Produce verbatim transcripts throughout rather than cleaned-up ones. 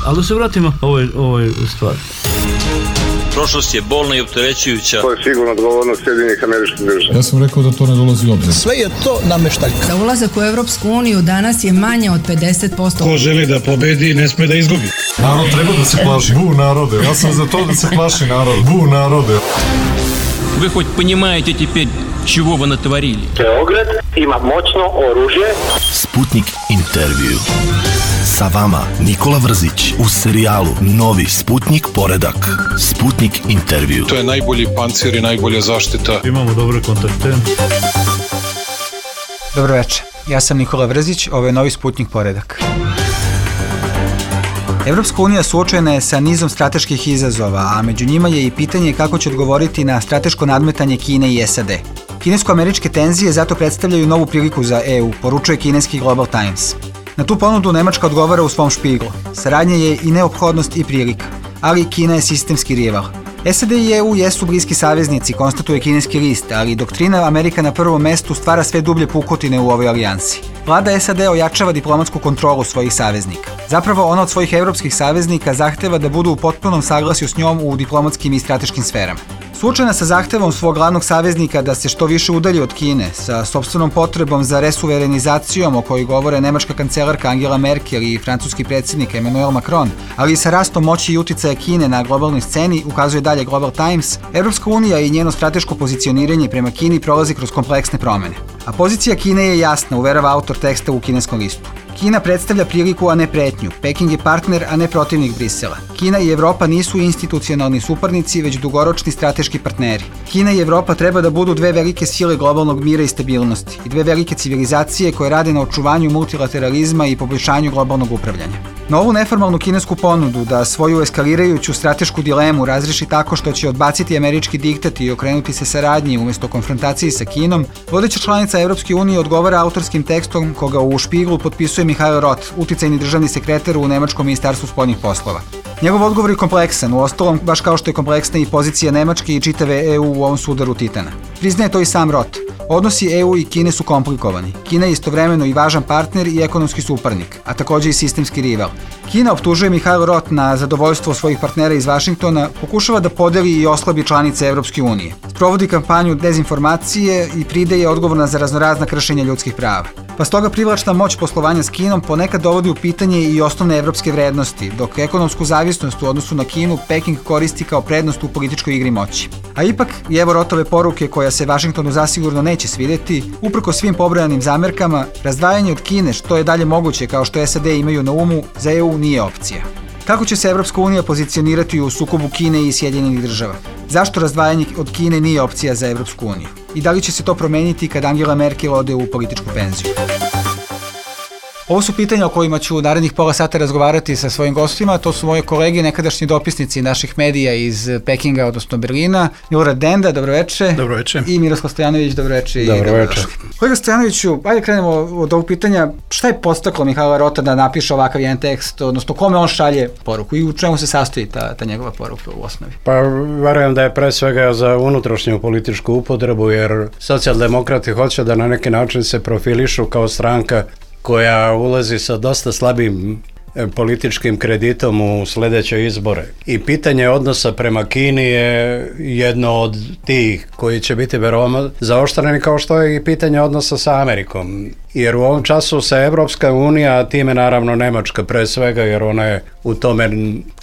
Ali da se vratimo ovoj, ovoj stvari. Prošlost je bolna i opterećujuća. To je sigurno odgovornost Sjedinjenih Američkih Država. Ja sam rekao da to ne dolazi u obzir. Sve je to nameštaljka. Za ulazak u Evropsku uniju danas je manje od pedeset posto. Ko želi da pobedi, ne sme da izgubi. Narod treba da se plaši. Bu narode. Ja sam za to da se plaši narod. Bu narode. Вы хоть понимаете теперь, чего вы натворили? Beograd ima moćno oružje. Sputnik intervju. Sa vama Nikola Vrzić u serijalu Novi Sputnik poredak. Sputnik intervju. To je najbolji pancir i najbolja zaštita. Imamo dobre kontakte. Dobro večer. Ja sam Nikola Vrzić, ovo je Novi Sputnik poredak. Evropska unija suočena je sa nizom strateških izazova, a među njima je i pitanje kako će odgovoriti na strateško nadmetanje Kine i S A D. Kinesko-američke tenzije zato predstavljaju novu priliku za E U, poručuje kineski Global Times. Na tu ponudu Nemačka odgovara u svom špiglu. Saradnja je i neophodnost i prilika, ali Kina je sistemski rival. S A D i E U jesu bliski saveznici, konstatuje kineski list, ali doktrina Amerika na prvom mestu stvara sve dublje pukotine u ovoj alijansi. Vlada S A D ojačava diplomatsku kontrolu svojih saveznika. Zapravo, ona od svojih evropskih saveznika zahteva da budu u potpunom saglasju s njom u diplomatskim i strateškim sferama. Suočena sa zahtevom svog glavnog saveznika da se što više udalji od Kine, sa sopstvenom potrebom za resuverenizacijom o kojoj govore nemačka kancelarka Angela Merkel i francuski predsjednik Emmanuel Macron, ali i sa rastom moći i uticaja Kine na globalnoj sceni, ukazuje dalje Global Times, Evropska unija i njeno strateško pozicioniranje prema Kini prolazi kroz kompleksne promene. A pozicija Kine je jasna, uverava autor teksta u kineskom listu. Kina predstavlja priliku, a ne pretnju. Peking je partner, a ne protivnik Brisela. Kina i Evropa nisu institucionalni suparnici, već dugoročni strateški partneri. Kina i Evropa treba da budu dve velike sile globalnog mira i stabilnosti i dve velike civilizacije koje rade na očuvanju multilateralizma i poboljšanju globalnog upravljanja. Na ovu neformalnu kinesku ponudu da svoju eskalirajuću stratešku dilemu razreši tako što će odbaciti američki diktat i okrenuti se saradnji umjesto konfrontaciji sa Kinom, vodeća članica Evropske unije odgovara autorskim tekstom koga u špiglu potpisuje Mihail Roth, uticajni državni sekretar u Nemačkom ministarstvu spoljnih poslova. Njegov odgovor je kompleksan, uostalom baš kao što je kompleksna i pozicija Nemačke i čitave E U u ovom sudaru Titana. Priznaje to i sam Roth. Odnosi E U i Kine su komplikovani. Kina je istovremeno i važan partner i ekonomski suparnik, a također i sistemski rival. Kina, optužuje Mihail Roth na zadovoljstvo svojih partnera iz Vašingtona, pokušava da podeli i oslabi članice Evropske unije. Sprovodi kampanju dezinformacije i pride je odgovorna za raznorazna kršenja ljudskih prava. Pa stoga privlačna moć poslovanja s Kinom ponekad dovodi u pitanje i osnovne evropske vrednosti, dok ekonomsku zavisnost u odnosu na Kinu Peking koristi kao prednost u političkoj igri moći. A ipak, i evo Rothove poruke koja se Vašingtonu zasigurno neće svidjeti, uprko svim pobrojanim zamerkama, razdvajanje od Kine što je dalje moguće kao što S A D imaju na umu, za E U nije opcija. Kako će se Evropska unija pozicionirati u sukobu Kine i Sjedinjenih država? Zašto razdvajanje od Kine nije opcija za Evropsku uniju? I da li će se to promeniti kad Angela Merkel ode u političku penziju? Ovo su pitanja o kojima ću u narednih pola sata razgovarati sa svojim gostima. To su moji kolege, nekadašnji dopisnici naših medija iz Pekinga, odnosno Berlina. Milorad Denda, dobroveče. Dobroveče. I Miroslav Stojanović, dobroveče. Dobroveče. Kolega Stojanoviću, ajde krenemo od ovog pitanja. Šta je podstaklo Mihaila Rotha da napiše ovakav jedan tekst, odnosno kome on šalje poruku i u čemu se sastoji ta, ta njegova poruka u osnovi? Pa verujem da je pre svega za unutrašnju političku upotrebu, jer socijaldemokrati hoće da na neki način se profilišu kao stranka koja ulazi sa dosta slabim političkim kreditom u sljedeće izbore. I pitanje odnosa prema Kini je jedno od tih koji će biti veoma zaoštreni, kao što je i pitanje odnosa sa Amerikom. Jer u ovom času se Evropska unija, a time naravno Nemačka pre svega, jer ona je u tome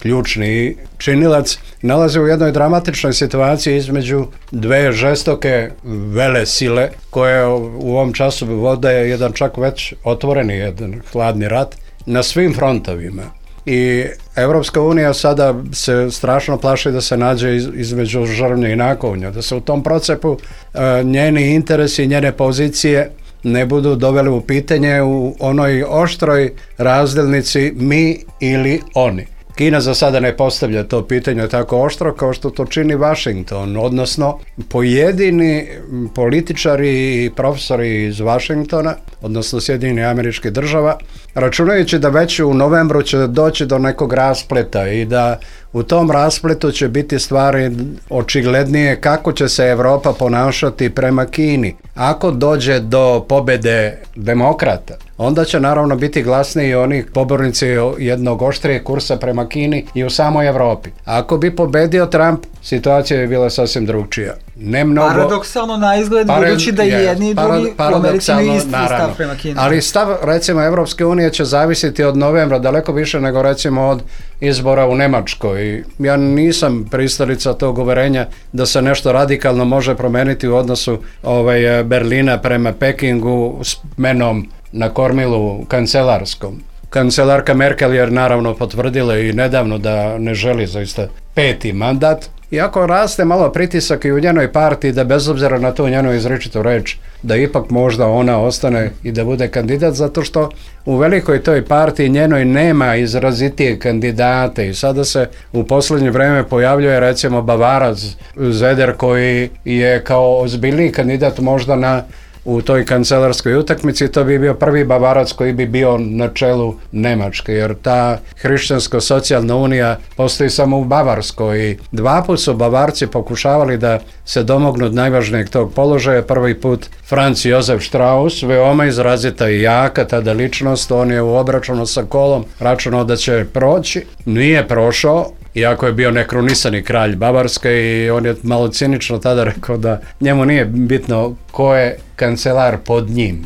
ključni činilac, nalazi u jednoj dramatičnoj situaciji između dve žestoke vele sile koje u ovom času vode jedan čak već otvoreni jedan hladni rat na svim frontovima. I Evropska unija sada se strašno plaši da se nađe iz, između žrvnja i nakovnja, da se u tom procepu e, njeni interesi i njene pozicije ne budu doveli u pitanje u onoj oštroj razdjelnici mi ili oni. Kina za sada ne postavlja to pitanje tako oštro kao što to čini Washington, odnosno pojedini političari i profesori iz Washingtona, odnosno Sjedinjenih Američkih Država, računajući da već u novembru će doći do nekog raspleta i da u tom raspletu će biti stvari očiglednije kako će se Europa ponašati prema Kini. Ako dođe do pobjede demokrata, onda će naravno biti glasniji oni pobornici jednog oštrijeg kursa prema Kini i u samoj Europi. Ako bi pobedio Trump, situacija bi bila sasvim drugčija. Ne mnogo... Paradoksalno na izgled, Parad... budući da je, jedni i drugi u Americi imaju isti stav prema Kini. Ali stav, recimo, Evropske unije će zavisiti od novembra daleko više nego recimo od izbora u Nemačkoj. Ja nisam pristalica tog uverenja da se nešto radikalno može promeniti u odnosu ovaj, Berlina prema Pekingu s menom na kormilu kancelarskom. Kancelarka Merkel je naravno potvrdila i nedavno da ne želi zaista peti mandat. Iako raste malo pritisak i u njenoj partiji da bez obzira na to njenu izričitu reč, da ipak možda ona ostane i da bude kandidat, zato što u velikoj toj partiji njenoj nema izrazitije kandidate i sada se u posljednje vrijeme pojavljuje recimo Bavarac Zeder koji je kao ozbiljniji kandidat možda na u toj kancelarskoj utakmici. To bi bio prvi Bavarac koji bi bio na čelu Nemačke, jer ta hrišćansko-socijalna unija postoji samo u Bavarskoj i dva put su Bavarci pokušavali da se domognu najvažnijeg tog položaja. Prvi put Franz Josef Strauss, veoma izrazita i jaka tada ličnost, on je u obračunu sa Kolom računao da će proći, nije prošao, iako je bio nekrunisani kralj Bavarske i on je malo cinično tada rekao da njemu nije bitno ko je kancelar pod njim,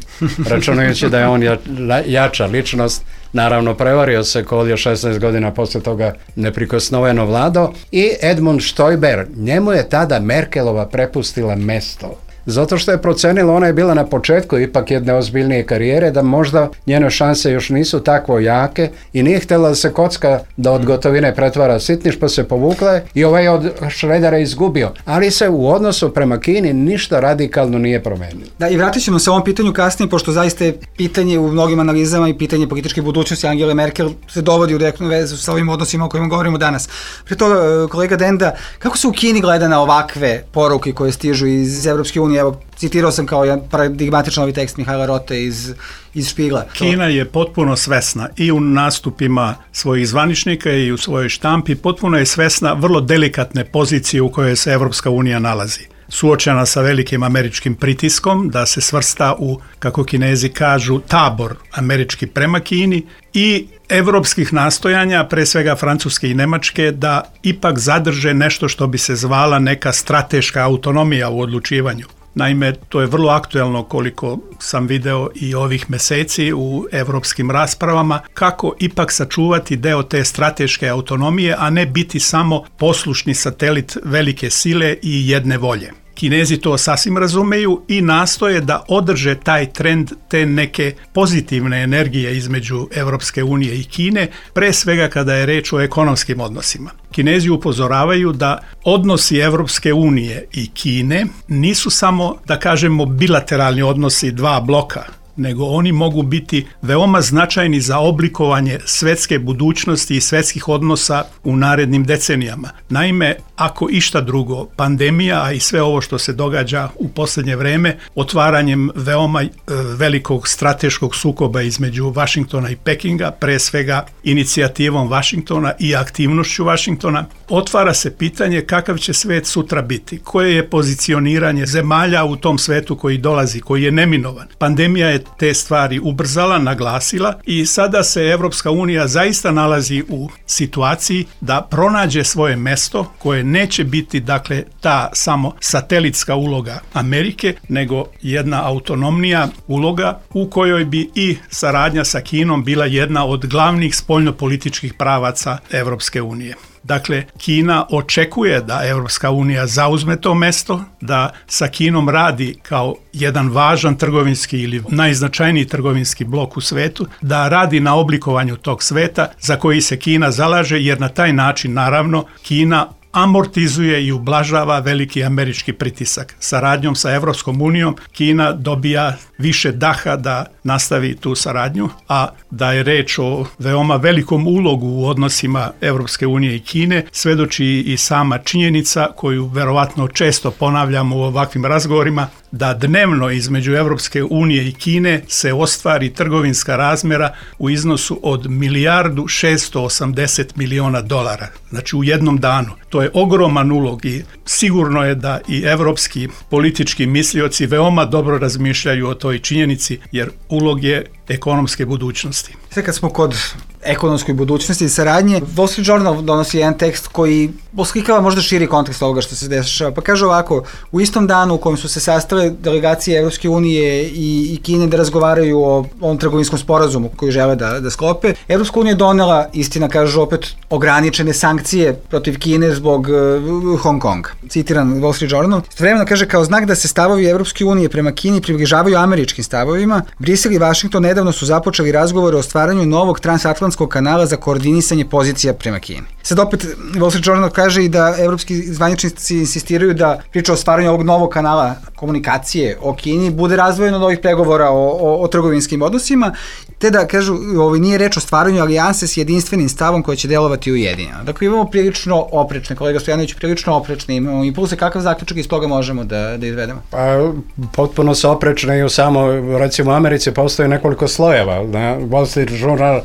računajući da je on ja, jača ličnost. Naravno, prevario se Kohl je šesnaest godina poslije toga neprikosnoveno vladao i Edmund Stoiber, njemu je tada Merkelova prepustila mesto. Zato što je procenila, ona je bila na početku ipak jedne ozbiljnije karijere, da možda njene šanse još nisu tako jake i nije htjela da se kocka da od gotovine pretvara sitniš, pa se povukla i ovaj od Šredera izgubio. Ali se u odnosu prema Kini ništa radikalno nije promenilo. Da, i vratit ćemo se ovom pitanju kasnije, pošto zaista je pitanje u mnogim analizama i pitanje političke budućnosti Angele Merkel se dovodi u direktnu vezu sa ovim odnosima o kojima govorimo danas. Pre toga, kolega Denda, kako se u Kini gleda na ovakve poruke koje stižu iz Evropske unije? Evo, citirao sam kao jedan paradigmatičan ovaj tekst Mihajla Rote iz, iz Špigla. Kina je potpuno svesna i u nastupima svojih zvaničnika i u svojoj štampi, potpuno je svesna vrlo delikatne pozicije u kojoj se Evropska unija nalazi. Suočena sa velikim američkim pritiskom da se svrsta u, kako Kinezi kažu, tabor američki prema Kini i evropskih nastojanja, pre svega Francuske i Nemačke, da ipak zadrže nešto što bi se zvala neka strateška autonomija u odlučivanju. Naime, to je vrlo aktuelno koliko sam video i ovih meseci u evropskim raspravama, kako ipak sačuvati deo te strateške autonomije, a ne biti samo poslušni satelit velike sile i jedne volje. Kinezi to sasvim razumeju i nastoje da održe taj trend te neke pozitivne energije između Evropske unije i Kine, pre svega kada je reč o ekonomskim odnosima. Kinezi upozoravaju da odnosi Evropske unije i Kine nisu samo, da kažemo, bilateralni odnosi dva bloka, nego oni mogu biti veoma značajni za oblikovanje svetske budućnosti i svetskih odnosa u narednim decenijama. Naime, ako išta drugo, pandemija, a i sve ovo što se događa u posljednje vreme, otvaranjem veoma e, velikog strateškog sukoba između Vašingtona i Pekinga, pre svega inicijativom Vašingtona i aktivnošću Vašingtona, otvara se pitanje kakav će svet sutra biti, koje je pozicioniranje zemalja u tom svetu koji dolazi, koji je neminovan. Pandemija je te stvari ubrzala, naglasila i sada se Evropska unija zaista nalazi u situaciji da pronađe svoje mesto koje neće biti, dakle, ta samo satelitska uloga Amerike, nego jedna autonomnija uloga u kojoj bi i saradnja sa Kinom bila jedna od glavnih spoljnopolitičkih pravaca Evropske unije. Dakle, Kina očekuje da Evropska unija zauzme to mesto, da sa Kinom radi kao jedan važan trgovinski ili najznačajniji trgovinski blok u svetu, da radi na oblikovanju tog sveta za koji se Kina zalaže, jer na taj način, naravno, Kina amortizuje i ublažava veliki američki pritisak. Saradnjom sa Evropskom unijom Kina dobija više daha da nastavi tu saradnju, a da je reč o veoma velikom ulogu u odnosima Evropske unije i Kine, svedoči i sama činjenica koju verovatno često ponavljamo u ovakvim razgovorima, da dnevno između Evropske unije i Kine se ostvari trgovinska razmjera u iznosu od milijardu šesto osamdeset miliona dolara. Znači u jednom danu. To je ogroman ulog i sigurno je da i evropski politički mislioci veoma dobro razmišljaju o toj činjenici, jer ulog je ekonomske budućnosti. Sve kad smo kod ekonomskoj budućnosti i saradnje, Wall Street Journal donosi jedan tekst koji oslikava možda širi kontekst ovoga što se dešava. Pa kaže ovako, u istom danu u kojem su se sastale delegacije Evropske unije i, i Kine da razgovaraju o ovom trgovinskom sporazumu koji žele da, da sklope, Evropska unija donela, istina kažu opet, ograničene sankcije protiv Kine zbog uh, Hong Konga. Citiran Wall Street Journal. Istovremeno kaže, kao znak da se stavovi Evropske unije prema Kini približavaju američkim stavovima, Brisel i Vašington nedavno su započeli razgovore o stvaranju novog transatlantskog kanala za koordinisanje pozicija prema Kini. Sad opet Wall Street Journal kaže i da evropski zvaničnici insistiraju da priča o stvaranju ovog novog kanala komunikacije o Kini bude razvojeno od ovih pregovora o, o, o trgovinskim odnosima, te da kažu, ovo nije reč o stvaranju alijanse s jedinstvenim stavom koja će delovati ujedinjeno. Dakle, imamo prilično oprečne, kolega Stojanović, prilično oprečne, imamo impulse, kakav zaključak iz toga možemo da, da izvedemo? Pa, potpuno se oprečne i u samo, recimo u Americi postoje nekoliko slojeva. Na Wall Street Journal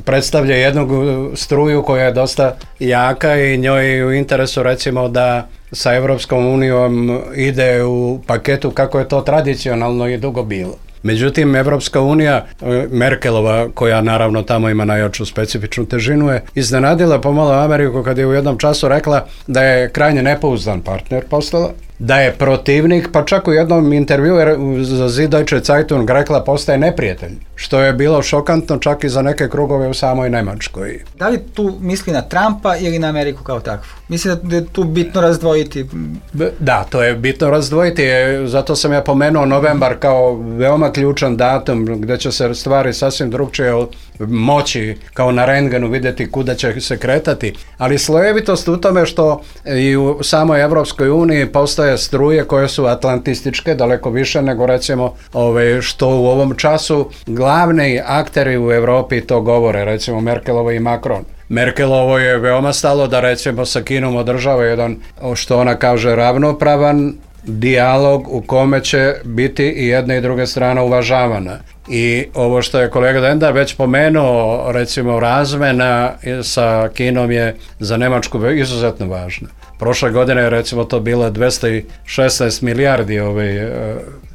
predstavlja jednu struju koja je dosta jaka i njoj je u interesu recimo da sa Evropskom unijom ide u paketu kako je to tradicionalno i dugo bilo. Međutim, Evropska unija, Merkelova, koja naravno tamo ima najjaču specifičnu težinu, je iznenadila pomalo Ameriku kad je u jednom času rekla da je krajnje nepouzdan partner postala, da je protivnik, pa čak u jednom intervju za Süddeutsche Zeitung rekla postaje neprijatelj, što je bilo šokantno čak i za neke krugove u samoj Nemačkoj. Da li tu misli na Trumpa ili na Ameriku kao takvu? Mislim da je tu bitno razdvojiti. Da, to je bitno razdvojiti, zato sam ja pomenuo novembar kao veoma ključan datum gdje će se stvari sasvim drugčije moći kao na rentgenu vidjeti kuda će se kretati, ali slojevitost u tome što i u samoj Evropskoj uniji postoje struje koje su atlantističke, daleko više nego recimo ove, što u ovom času glavni akteri u Europi to govore, recimo Merkelova i Macron. Merkelovo je veoma stalo da recimo sa Kinom održava jedan, što ona kaže, ravnopravan dijalog u kome će biti i jedna i druga strana uvažavana. I ovo što je kolega Denda već pomenuo, recimo razmena sa Kinom je za Nemačku izuzetno važna. Prošle godine je recimo to bilo dvesta šesnaest milijardi ove,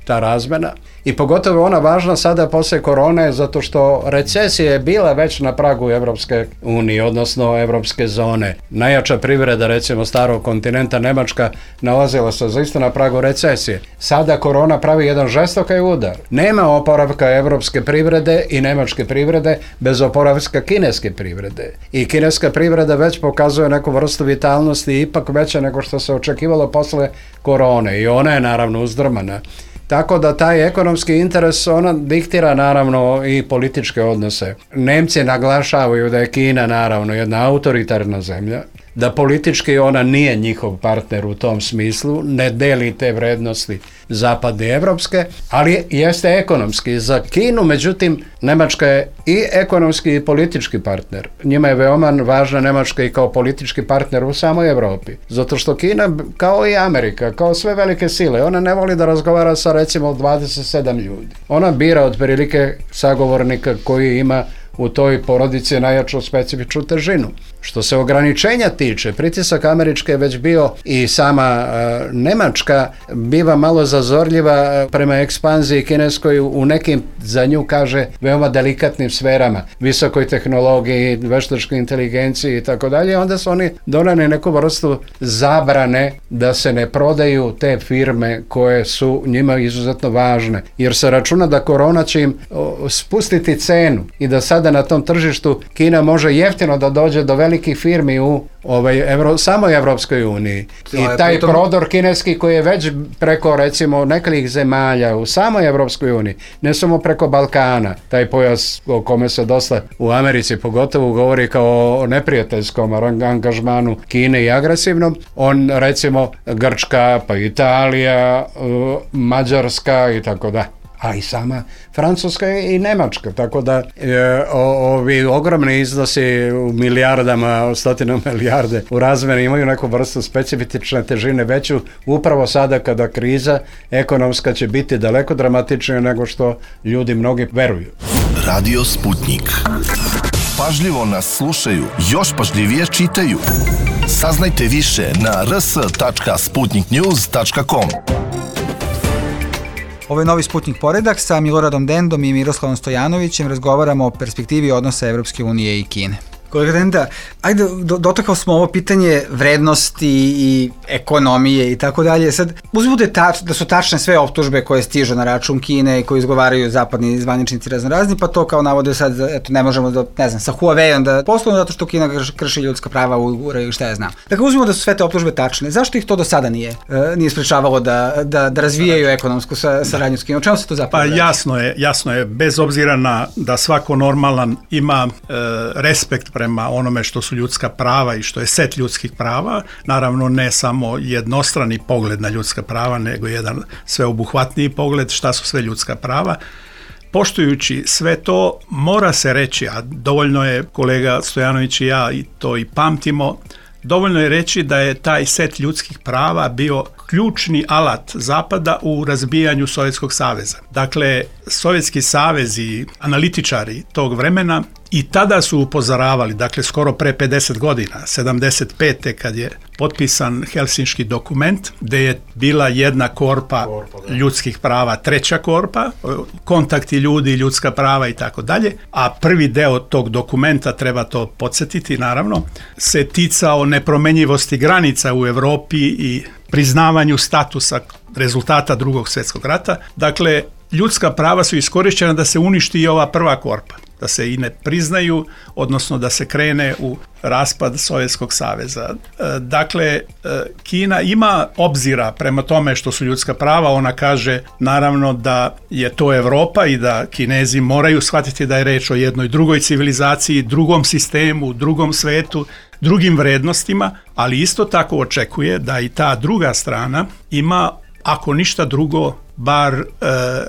ta razmena. I pogotovo ona važna sada poslije korone zato što recesija je bila već na pragu Evropske unije, odnosno Evropske zone. Najjača privreda recimo starog kontinenta Nemačka nalazila se zaista na pragu recesije. Sada korona pravi jedan žestoki udar. Nema oporavka evropske privrede i nemačke privrede bez oporavka kineske privrede. I kineska privreda već pokazuje neku vrstu vitalnosti ipak veća nego što se očekivalo posle korone i ona je naravno uzdrmana. Tako da taj ekonomski interes ona diktira naravno i političke odnose. Nemci naglašavaju da je Kina naravno jedna autoritarna zemlja, da politički ona nije njihov partner u tom smislu, ne deli te vrednosti zapadne evropske, ali jeste ekonomski. Za Kinu, međutim, Nemačka je i ekonomski i politički partner. Njima je veoma važna Nemačka i kao politički partner u samoj Evropi. Zato što Kina, kao i Amerika, kao sve velike sile, ona ne voli da razgovara sa recimo dvadeset sedam ljudi. Ona bira otprilike sagovornika koji ima u toj porodici najjaču specifičnu težinu. Što se ograničenja tiče, pritisak američke je već bio i sama uh, Nemačka biva malo zazorljiva prema ekspanziji kineskoj u nekim, za nju kaže, veoma delikatnim sferama, visokoj tehnologiji, veštačkoj inteligenciji i tako dalje. Onda su oni doneli neku vrstu zabrane da se ne prodaju te firme koje su njima izuzetno važne. Jer se računa da korona će im o, spustiti cenu i da sada na tom tržištu Kina može jeftino da dođe do velikih firmi u ovaj, Evro, samoj Evropskoj uniji. I taj pritom... prodor kineski koji je već preko recimo nekoliko zemalja u samoj Evropskoj uniji, ne samo preko Balkana, taj pojas o kome se dosta u Americi pogotovo govori kao o neprijateljskom angažmanu Kine i agresivnom, on recimo Grčka, pa Italija, Mađarska i tako da. a i sama Francuska i Nemačka, tako da e, o, ovi ogromni iznosi u milijardama, stotinu milijarde u razmjeni imaju neku vrstu specifične težine veću upravo sada kada kriza ekonomska će biti daleko dramatičnija nego što ljudi mnogi veruju. Radio Sputnik. Pažljivo nas slušaju, još pažljivije čitaju. Saznajte više na r s tačka sputnik news tačka com. Ovo je novi Sputnik poredak, sa Miloradom Dendom i Miroslavom Stojanovićem razgovaramo o perspektivi odnosa Evropske unije i Kine. Kolega Denda, ajde, do, dotakao smo ovo pitanje vrednosti i ekonomije i tako dalje. Sad, uzmimo da, tač, da su tačne sve optužbe koje stižu na račun Kine i koje izgovaraju zapadni zvaničnici raznorazni, pa to kao navode sad, eto, ne možemo da, ne znam, sa Huawei-om da poslovno zato što Kina krši ljudska prava u ili šta ja znam. Dakle, uzmimo da su sve te optužbe tačne. Zašto ih to do sada nije, e, nije sprečavalo da, da, da razvijaju ekonomsku sa, saradnju s Kinom? O čemu se to zapravo Pa reći? jasno je, jasno je, bez obzira na da svako normalan ima e, respekt prema onome što su ljudska prava i što je set ljudskih prava, naravno ne samo jednostrani pogled na ljudska prava, nego jedan sveobuhvatniji pogled šta su sve ljudska prava. Poštujući sve to, mora se reći, a dovoljno je, kolega Stojanović i ja i to i pamtimo, dovoljno je reći da je taj set ljudskih prava bio ključni alat Zapada u razbijanju Sovjetskog saveza. Dakle, Sovjetski savez i analitičari tog vremena i tada su upozoravali, dakle skoro pre pedeset godina, sedamdeset pete kad je potpisan Helsinški dokument, gde je bila jedna korpa, korpa ljudskih prava, treća korpa, kontakti ljudi, ljudska prava i tako dalje, a prvi deo tog dokumenta, treba to podsjetiti naravno, se ticao nepromenjivosti granica u Evropi i priznavanju statusa rezultata Drugog svjetskog rata. Dakle, ljudska prava su iskorišćena da se uništi i ova prva korpa, da se i ne priznaju, odnosno da se krene u raspad Sovjetskog saveza. Dakle, Kina ima obzira prema tome što su ljudska prava, ona kaže naravno da je to Evropa i da Kinezi moraju shvatiti da je reč o jednoj drugoj civilizaciji, drugom sistemu, drugom svetu, drugim vrednostima, ali isto tako očekuje da i ta druga strana ima, ako ništa drugo, bar e,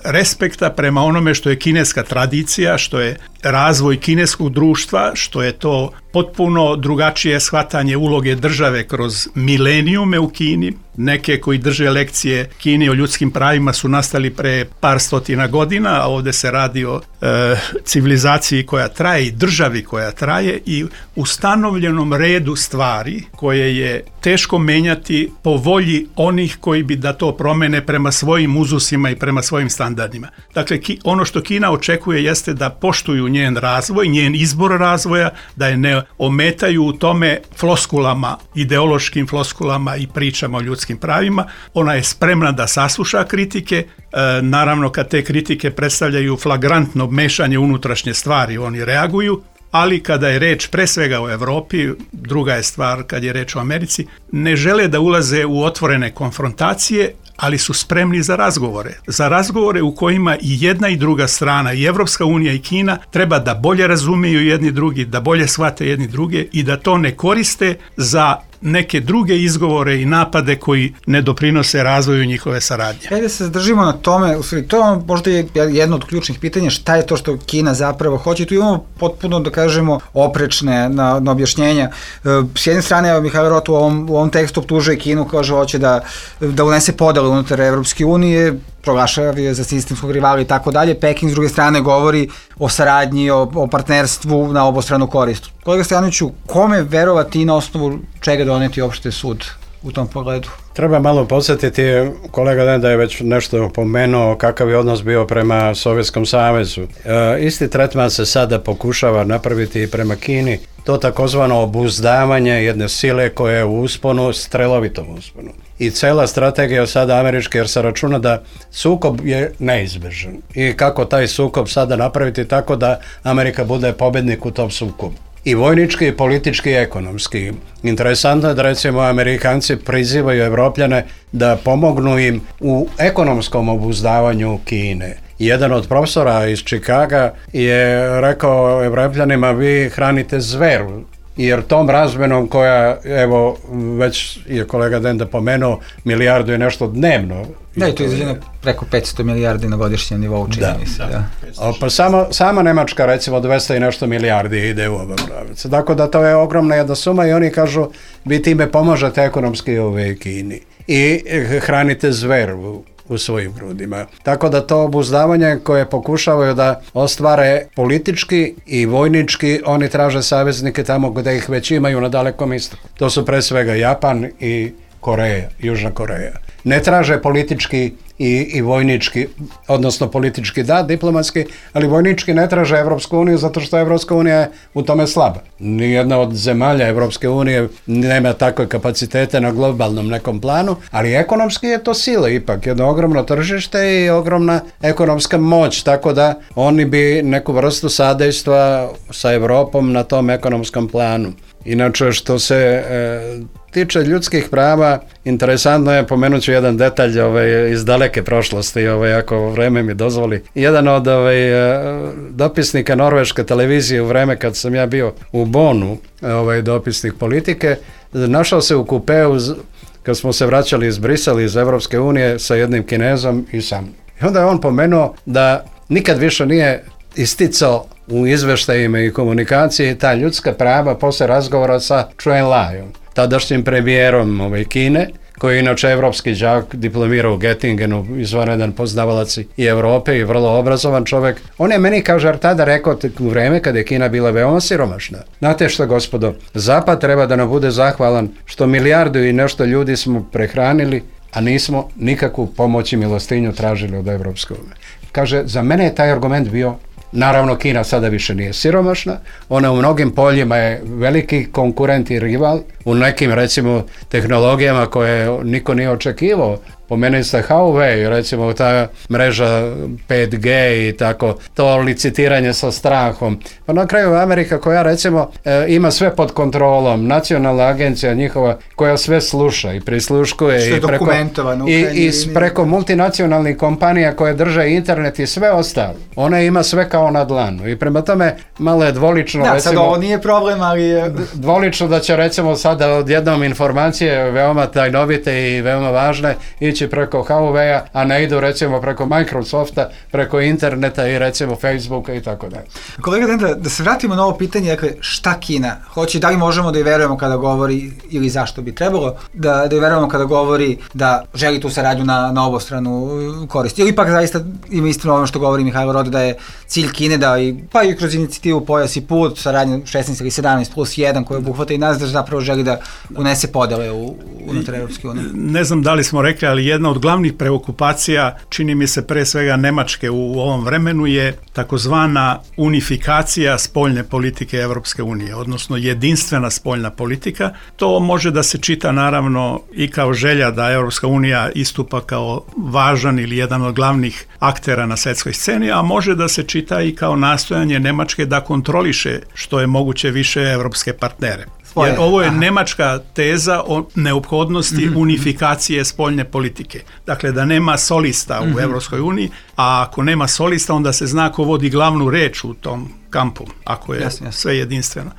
respekta prema onome što je kineska tradicija, što je razvoj kineskog društva, što je to potpuno drugačije shvatanje uloge države kroz milenijume u Kini. Neke koji drže lekcije Kini o ljudskim pravima su nastali pre par stotina godina, a ovdje se radi o e, civilizaciji koja traje i državi koja traje i ustanovljenom redu stvari koje je teško menjati po volji onih koji bi da to promene prema svojim uzusima i prema svojim standardima. Dakle, ki, ono što Kina očekuje jeste da poštuju njen razvoj, njen izbor razvoja, da je ne ometaju u tome floskulama, ideološkim floskulama i pričama o ljudskim pravima. Ona je spremna da sasluša kritike, e, naravno kad te kritike predstavljaju flagrantno mešanje unutrašnje stvari, oni reaguju, ali kada je reč pre svega o Evropi, druga je stvar kad je reč o Americi, ne žele da ulaze u otvorene konfrontacije, ali su spremni za razgovore. Za razgovore u kojima i jedna i druga strana, i Evropska unija i Kina, treba da bolje razumiju jedni drugi, da bolje shvate jedni druge i da to ne koriste za neke druge izgovore i napade koji ne doprinose razvoju njihove saradnje. Ajde se zadržimo na tome, u stvari, to je možda je jedno od ključnih pitanja, šta je to što Kina zapravo hoće. Tu imamo potpuno, da kažemo, oprečne na, na objašnjenja. S jedne strane, evo, Mihajlo Rot u ovom, u ovom tekstu optužuje Kinu, kaže hoće da, da unese podele unutar Evropske unije, proglašava je za sistemskog rivala i tako dalje. Peking s druge strane govori o saradnji, o, o partnerstvu na obostranu korist. Kolega Stojanoviću, kome verovati i na osnovu čega doneti opšte sud u tom pogledu? Treba malo podsjetiti, kolega Denda je već nešto pomenuo kakav je odnos bio prema Sovjetskom savezu. E, isti tretman se sada pokušava napraviti i prema Kini, to takozvano obuzdavanje jedne sile koja je u usponu, strelovitom usponu. I cela strategija sada američka, jer se računa da sukob je neizbežan. I kako taj sukob sada napraviti tako da Amerika bude pobednik u tom sukobu. I vojnički, i politički, i ekonomski. Interesantno je da recimo Amerikanci prizivaju Evropljane da pomognu im u ekonomskom obuzdavanju Kine. Jedan od profesora iz Čikaga je rekao Evropljanima, vi hranite zveru jer tom razmenom koja, evo, već je kolega Denda pomenuo, milijardu je nešto dnevno. Da, i to je izađeno preko petsto milijardi na godišnjem nivou, čini mi se. Da. O, pa samo, sama Nemačka, recimo, dvesta i nešto milijardi ide u ovom pravicu. Dakle, da to je ogromna jedna suma i oni kažu, vi time pomažete ekonomski ove Kini i hranite zver u, u svojim grudima. Tako da to obuzdavanje koje pokušavaju da ostvare politički i vojnički, oni traže saveznike tamo gdje ih već imaju na Dalekom istoku. To su pre svega Japan i Koreja, Južna Koreja. Ne traže politički i, i vojnički, odnosno politički da, diplomatski, ali vojnički ne traže Evropsku uniju zato što Evropska unija je u tome slaba. Nijedna od zemalja Evropske unije nema takve kapacitete na globalnom nekom planu, ali ekonomski je to sila ipak, jedno ogromno tržište i ogromna ekonomska moć, tako da oni bi neku vrstu sadejstva sa Evropom na tom ekonomskom planu. Inače, što se e, tiče ljudskih prava, interesantno je, pomenut ću jedan detalj ovaj, iz daleke prošlosti, ovaj, ako vreme mi dozvoli. Jedan od ovaj, dopisnika norveške televizije u vreme kad sam ja bio u Bonu, ovaj, dopisnik politike, našao se u kupeu kad smo se vraćali iz Brisela, iz Evropske unije sa jednim Kinezom i sam. I onda je on pomenuo da nikad više nije isticao u izveštajima i komunikaciji ta ljudska prava posle razgovora sa Chuen Laiom, tadašnjim premijerom ove Kine, koji je inače evropski đak, diplomirao u Göttingenu, izvanredan poznavalac i Evrope i vrlo obrazovan čovjek. On je meni, kaže, tada rekao u vreme kada je Kina bila veoma siromašna. Znate što, gospodo, Zapad treba da nam bude zahvalan što milijardu i nešto ljudi smo prehranili, a nismo nikakvu pomoć i milostinju tražili od Evropske unije. Kaže, za mene je taj argument bio, naravno Kina sada više nije siromašna, ona u mnogim poljima je veliki konkurent i rival, u nekim recimo tehnologijama koje niko nije očekivao. Pomenuli ste Huawei, recimo ta mreža pet G i tako, to licitiranje sa strahom. Pa na kraju Amerika koja recimo e, ima sve pod kontrolom, nacionalna agencija njihova koja sve sluša i prisluškuje i preko, i, i preko multinacionalnih kompanija koje drže internet i sve ostalo. Ona ima sve kao na dlanu i prema tome malo je dvolično. Da, recimo, sad ovo nije problem, ali je... Dvolično da će recimo sada odjednom informacije veoma tajnovite i veoma važne ići preko Huawei-a, a ne idu recimo preko Microsofta, preko interneta i recimo Facebooka i tako dalje. Kolega Denda, da se vratimo na ovo pitanje, dakle, šta Kina hoće, da li možemo da je verujemo kada govori, ili zašto bi trebalo, da, da je verujemo kada govori da želi tu saradnju na, na obostranu korist. Ili ipak zaista ima istino ono što govori Mihajlo Rode, da je cilj Kine da, i, pa i kroz inicijativu Pojas i put, saradnju šesnaest ili sedamnaest plus jedan koja obuhvata i nas, da zapravo želi da unese podele u, unutar Evropske unije. Ne znam da li smo rekli, ali jedna od glavnih preokupacija, čini mi se pre svega Nemačke u ovom vremenu, je takozvana unifikacija spoljne politike Evropske unije, odnosno jedinstvena spoljna politika. To može da se čita naravno i kao želja da Evropska unija istupa kao važan ili jedan od glavnih aktera na svjetskoj sceni, a može da se čita i kao nastojanje Nemačke da kontroliše što je moguće više evropske partnere. Jer ovo je nemačka teza o neophodnosti mm-hmm. unifikacije spoljne politike. Dakle, da nema solista mm-hmm. u Evropskoj uniji, a ako nema solista, onda se zna ko vodi glavnu reč u tom kampu, ako je jasne, jasne. sve jedinstveno.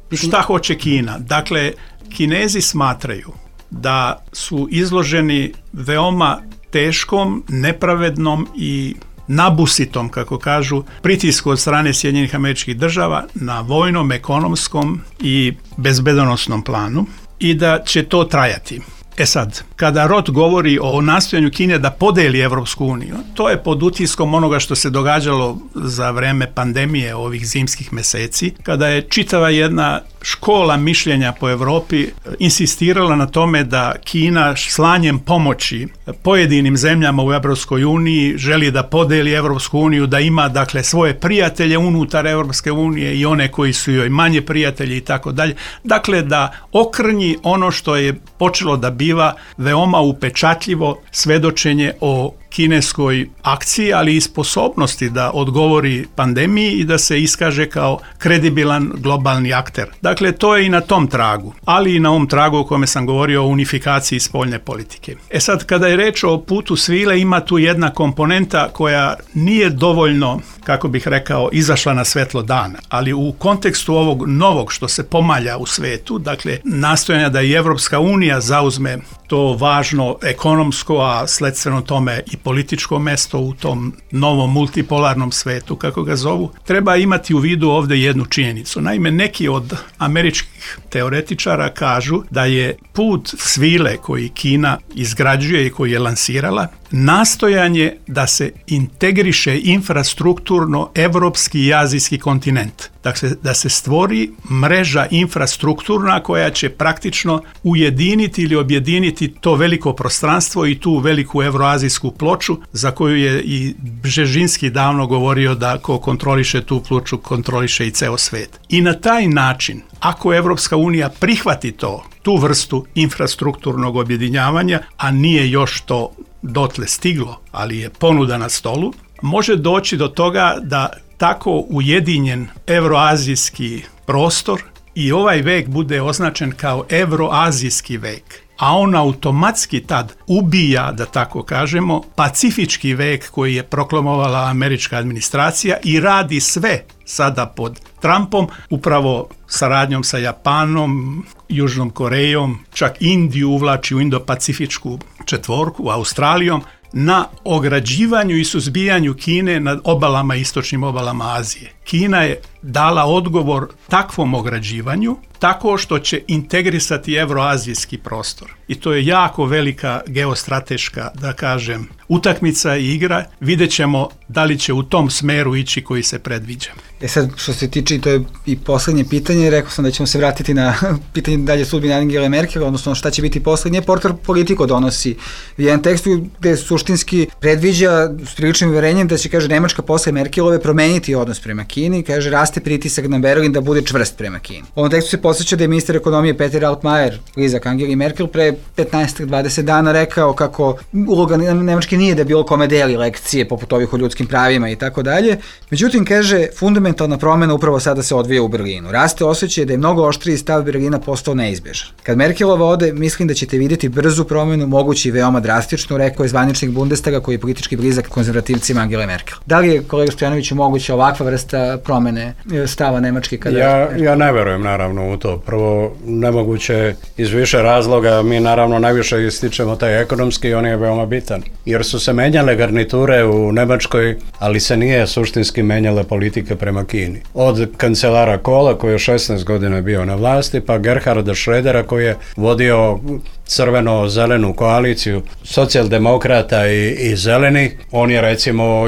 Pitanje. Šta hoće Kina? Dakle, Kinezi smatraju da su izloženi veoma teškom, nepravednom i nabusitom, kako kažu, pritisku od strane Sjedinjenih Američkih Država na vojnom, ekonomskom i bezbedonosnom planu i da će to trajati. E sad, kada Roth govori o nastojanju Kine da podeli Evropsku uniju, to je pod utiskom onoga što se događalo za vreme pandemije ovih zimskih meseci, kada je čitava jedna škola mišljenja po Evropi insistirala na tome da Kina slanjem pomoći pojedinim zemljama u Evropskoj uniji želi da podeli Evropsku uniju, da ima dakle svoje prijatelje unutar Evropske unije i one koji su joj manje prijatelji i tako dalje. Dakle, da okrnji ono što je počelo da biva veoma upečatljivo svedočenje o kineskoj akciji, ali i sposobnosti da odgovori pandemiji i da se iskaže kao kredibilan globalni akter. Dakle, to je i na tom tragu, ali i na ovom tragu o kome sam govorio o unifikaciji spoljne politike. E sad, kada je reč o putu svile, ima tu jedna komponenta koja nije dovoljno, kako bih rekao, izašla na svetlo dana. Ali u kontekstu ovog novog što se pomalja u svetu, dakle, nastojanja da i Evropska unija zauzme to važno ekonomsko, a sledstveno tome i političko mesto u tom novom multipolarnom svetu, kako ga zovu, treba imati u vidu ovdje jednu činjenicu. Naime, neki od američkih teoretičara kažu da je put svile koji Kina izgrađuje i koji je lansirala nastojanje da se integriše infrastrukturno evropski i azijski kontinent. Dakle, da se stvori mreža infrastrukturna koja će praktično ujediniti ili objediniti to veliko prostranstvo i tu veliku evroazijsku ploču za koju je i Bžežinski davno govorio da ko kontroliše tu ploču, kontroliše i ceo svet. I na taj način, ako Evropska unija prihvati to, tu vrstu infrastrukturnog objedinjavanja, a nije još to dotle stiglo, ali je ponuda na stolu, može doći do toga da tako ujedinjen evroazijski prostor i ovaj vek bude označen kao evroazijski vek, a on automatski tad ubija, da tako kažemo, pacifički vek koji je proklamovala američka administracija i radi sve sada pod Trumpom, upravo saradnjom sa Japanom, Južnom Korejom, čak Indiju uvlači u Indo-Pacifičku četvorku, Australijom, na ograđivanju i suzbijanju Kine nad obalama, istočnim obalama Azije. Kina je dala odgovor takvom ograđivanju tako što će integrisati evroazijski prostor. I to je jako velika geostrateška, da kažem, utakmica i igra. Vidjet ćemo da li će u tom smeru ići koji se predviđa. E sad, što se tiče, i to je i poslednje pitanje, rekao sam da ćemo se vratiti na pitanje dalje sudbine Angele Merkel, odnosno šta će biti poslednje. Portal Politico donosi jedan tekst gde suštinski predviđa s priličnim uverenjem da će, kaže, Nemačka posle Merkelove promeniti odnos prema Kini, kaže, raste pritisak na Berlin da bude čvrst prema Kini. U ovom tekstu se podsjeća da je ministar ekonomije Peter Altmaier, blizak Angeli Merkel, pre petnaest do dvadeset dana rekao kako uloga Nemačke nije da bilo kome deli lekcije poput ovih o ljudskim pravima i tako dalje. Međutim, kaže, fundamentalna promena upravo sada se odvija u Berlinu. Raste osjećaj da je mnogo oštriji stav Berlina postao neizbežan. Kad Merkelova ode, mislim da ćete vidjeti brzu promenu, mogući i veoma drastičnu, rekao je zvaničnik Bundestaga koji je politički blizak konzervativcima Angele Merkel. Da li je, kolega Stojanović, moguća ovakva vrsta promene stava Nemačke? Kada ja, ja ne verujem naravno u to. Prvo, nemoguće iz više razloga, mi naravno najviše ističemo taj ekonomski i on je veoma bitan. Jer su se menjale garniture u Nemačkoj, ali se nije suštinski menjale politike prema Kini. Od kancelara Kohla koji je šesnaest godina bio na vlasti, pa Gerharda Schrödera koji je vodio crveno-zelenu koaliciju socijaldemokrata i, i zelenih. On je recimo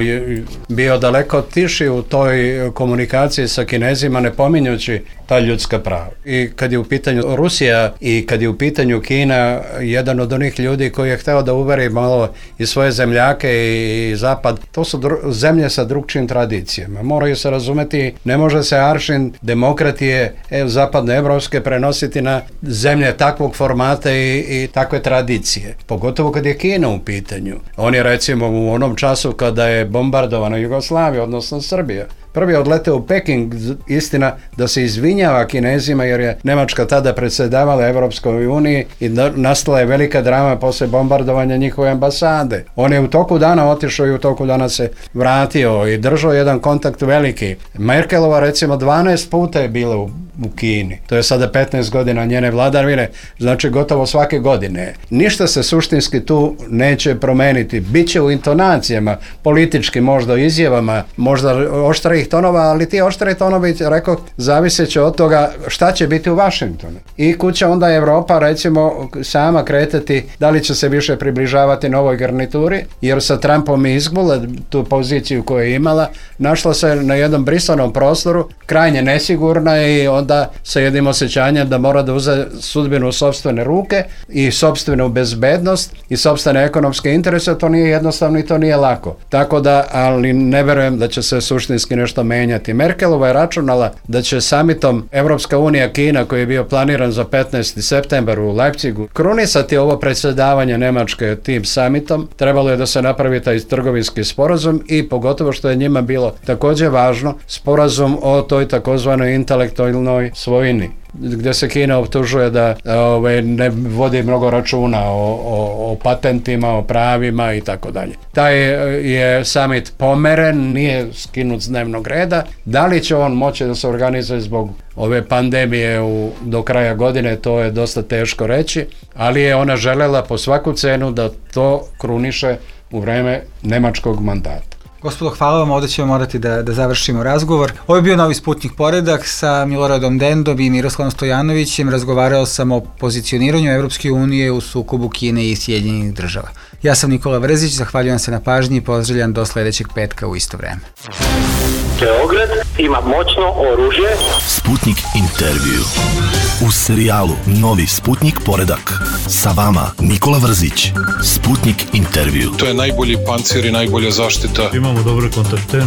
bio daleko tiši u toj komunikaciji sa Kinezima, ne pominjući ta ljudska prava. I kad je u pitanju Rusija i kad je u pitanju Kina, jedan od onih ljudi koji je hteo da uveri malo i svoje zemljake i, i zapad, to su dru, zemlje sa drugčijim tradicijama. Moraju se razumeti, ne može se aršin demokratije e, zapadne evropske prenositi na zemlje takvog formata i, i takve tradicije. Pogotovo kad je Kina u pitanju. On je recimo u onom času kada je bombardovana Jugoslavija, odnosno Srbija, prvi odleteo u Peking, istina, da se izvinjava Kinezima jer je Nemačka tada predsjedavala Evropskoj uniji i nastala je velika drama posle bombardovanja njihove ambasade. On je u toku dana otišao i u toku dana se vratio i držao jedan kontakt veliki. Merkelova recimo dvanaest puta je bila u, u Kini. To je sada petnaest godina njene vladavine, znači gotovo svake godine. Ništa se suštinski tu neće promeniti. Biće u intonacijama, politički možda izjavama, možda oštra tonova, ali ti oštre tonovi, rekao, zavisit će od toga šta će biti u Vašingtonu. I kuća onda Evropa, recimo, sama kretati da li će se više približavati novoj garnituri, jer sa Trumpom je izgubila tu poziciju koju je imala, našla se na jednom brisanom prostoru, krajnje nesigurna i onda sa jednim osjećanjem da mora da uze sudbinu u sopstvene ruke i sopstvenu bezbednost i sopstvene ekonomske interese, to nije jednostavno i to nije lako. Tako da, ali ne verujem da će se suštinski nešto menjati. Merkelova je računala da će samitom Evropska unija Kina koji je bio planiran za petnaesti septembar u Leipzigu krunisati ovo predsjedavanje Nemačke tim samitom. Trebalo je da se napravi taj trgovinski sporazum i pogotovo što je njima bilo također važno sporazum o toj takozvanoj intelektualnoj intelektualnoj svojini, gdje se Kina optužuje da ove, ne vodi mnogo računa o, o, o patentima, o pravima i tako dalje. Taj je summit pomeren, nije skinut s dnevnog reda. Da li će on moći da se organizuje zbog ove pandemije u, do kraja godine, to je dosta teško reći, ali je ona želela po svaku cenu da to kruniše u vreme nemačkog mandata. Gospodo, hvala vam, ovdje ćemo morati da, da završimo razgovor. Ovo je bio Novi Sputnik Poredak sa Miloradom Dendom i Miroslavom Stojanovićem. Razgovarao sam o pozicioniranju Evropske unije u sukobu Kine i Sjedinjenih država. Ja sam Nikola Vrzić, zahvaljujem se na pažnji i pozdravljam do sljedećeg petka u isto vreme. Beograd ima moćno oružje. Sputnik intervju. U serijalu Novi Sputnik Poredak. Sa vama Nikola Vrzić. Sputnik intervju. To je najbolji pancir i najbolja zaštita. Imamo dobre kontakte.